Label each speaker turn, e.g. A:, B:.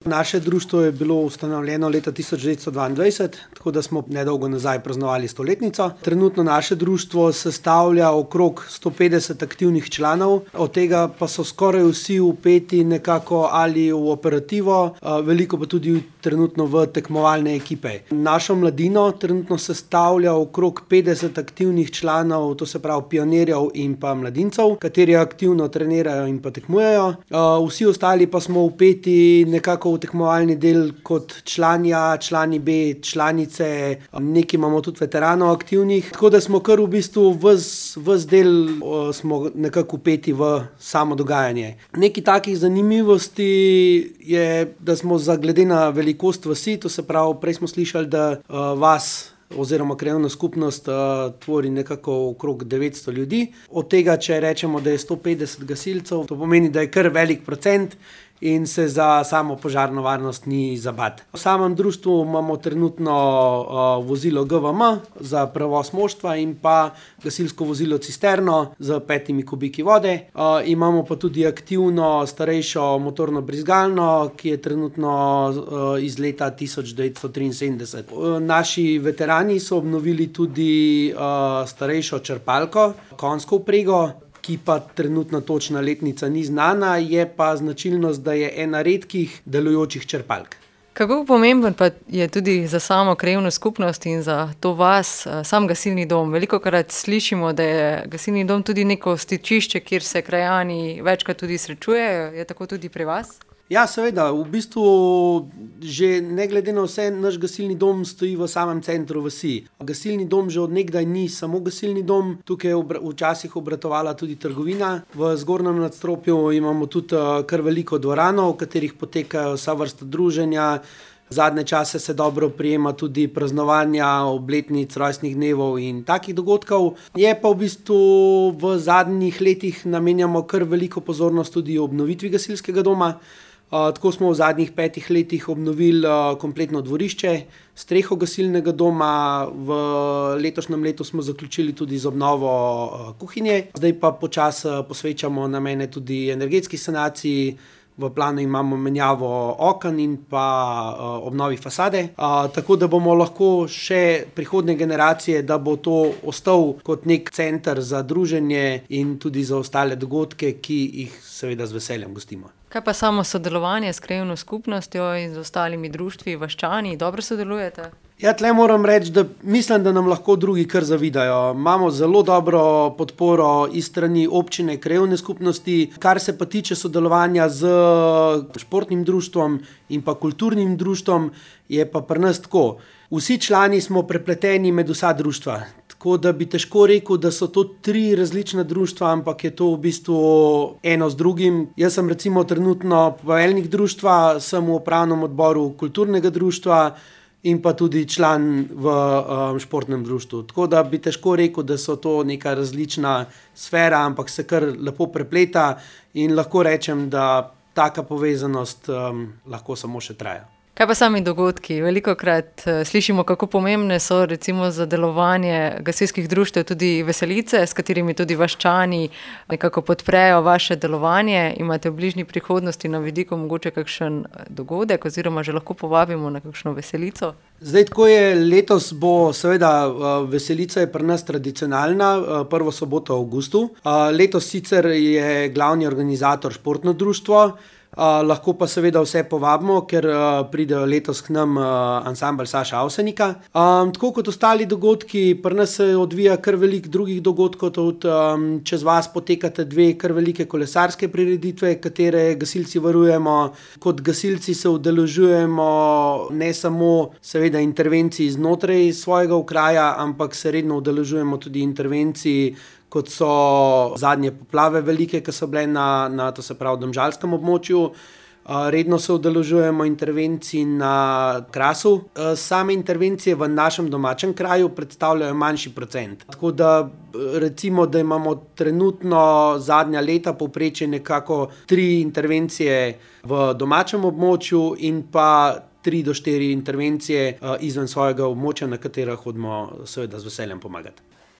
A: Naše društvo je bilo ustanovljeno leta 1922, tako da smo nedolgo nazaj praznovali 100-letnico. Trenutno naše društvo sestavlja okrog 150 aktivnih članov, od tega pa so skoraj vsi vpeti nekako ali v operativo, veliko pa tudi trenutno v tekmovalne ekipe. Našo mladino trenutno sestavlja okrog 50 aktivnih članov, to se pravi pionirjev in pa mladincev, kateri aktivno trenirajo in pa tekmujejo. Vsi ostali pa smo vpeti nekako v tekmovalni del kot člani A, člani B, članice, nekaj imamo tudi veteranov aktivnih, tako da smo kar v bistvu ves del smo nekako vpeti v samo dogajanje. Nekaj takih zanimivosti je, da smo glede na velikost vasi, to se pravi, prej smo slišali, da vas oziroma krajevna skupnost tvori nekako okrog 900 ljudi. Od tega, če rečemo, da je 150 gasilcev, to pomeni, da je kar velik procent in se za samo požarno varnost ni za bati. V samem društvu imamo trenutno vozilo GVM za prevoz moštva in pa gasilsko vozilo cisterno z 5 kubiki vode. Imamo pa tudi aktivno starejšo motorno brizgalno, ki je trenutno iz leta 1973. Naši veterani so obnovili tudi starejšo črpalko, konjsko vprego, ki pa trenutno točna letnica ni znana, je pa značilnost, da je ena redkih delujočih črpalk.
B: Kako pomemben pa je tudi za samo krajevno skupnost in za to vas sam gasilni dom? Velikokrat slišimo, da je gasilni dom tudi neko stičišče, kjer se krajani večkrat tudi srečujejo. Je tako tudi pri vas?
A: Ja, seveda. V bistvu že ne glede na vse, naš gasilni dom stoji v samem centru vasi. Gasilni dom že od nekdaj ni samo gasilni dom, tukaj je včasih obratovala tudi trgovina. V zgornjem nadstropju imamo tudi kar veliko dvorano, v katerih potekajo vsa vrsta druženja. Zadnje čase se dobro prijema tudi praznovanja obletnic, rojstnih dnevov in takih dogodkov. Je pa v bistvu v zadnjih letih namenjamo kar veliko pozornost tudi obnovitvi gasilskega doma. Tako smo v zadnjih 5 letih obnovili kompletno dvorišče, streho gasilnega doma, v letošnjem letu smo zaključili tudi z obnovo kuhinje. Zdaj pa počasi posvečamo namene tudi energetski sanaciji. V planu imamo menjavo oken in pa obnovi fasade, tako da bomo lahko še prihodnje generacije, da bo to ostal kot nek center za druženje in tudi za ostale dogodke, ki jih seveda z veseljem gostimo.
B: Kaj pa samo sodelovanje s krajevno skupnostjo in z ostalimi društvi, vaščani, dobro sodelujete?
A: Ja, tle moram reči, da mislim, da nam lahko drugi kar zavidajo. Imamo zelo dobro podporo iz strani občine, krajevne skupnosti. Kar se pa tiče sodelovanja z športnim društvom in pa kulturnim društvom, je pa pri nas tako. Vsi člani smo prepleteni med vsa društva. Tako da bi težko rekel, da so to 3 različna društva, ampak je to v bistvu eno z drugim. Jaz sem recimo trenutno poveljnik društva, sem v upravnem odboru kulturnega društva in pa tudi član v športnem društvu. Tako da bi težko rekel, da so to neka različna sfera, ampak se kar lepo prepleta in lahko rečem, da taka povezanost lahko samo še traja.
B: Kaj pa sami dogodki? Velikokrat slišimo, kako pomembne so recimo za delovanje gasilskih društev tudi veselice, s katerimi tudi vaščani nekako podprejo vaše delovanje. Imate v bližnji prihodnosti na vidiku mogoče kakšen dogodek oziroma že lahko povabimo na kakšno veselico?
A: Zdaj, tako je, letos bo seveda veselica je pri nas tradicionalna, prvo soboto v avgustu. Letos sicer je glavni organizator športno društvo, lahko pa seveda vse povabimo, ker pridejo letos k nam ansambel Saša Avsenika. Tako kot ostali dogodki, pri nas se odvija kar veliko drugih dogodkov, tudi čez vas potekate 2 kar velike kolesarske prireditve, katere gasilci varujemo. Kot gasilci se udeležujemo ne samo seveda intervencij znotraj svojega okraja, ampak se redno udeležujemo tudi intervencij, kot so zadnje poplave velike, ki so bile na to se pravi domžalskem območju. Redno se udeležujemo intervencij na Krasu. Same intervencije v našem domačem kraju predstavljajo manjši procent. Tako da recimo, da imamo trenutno zadnja leta povprečje nekako 3 intervencije v domačem območju in pa 3 do 4 intervencije izven svojega območja, na katera hodimo seveda z veseljem pomagati.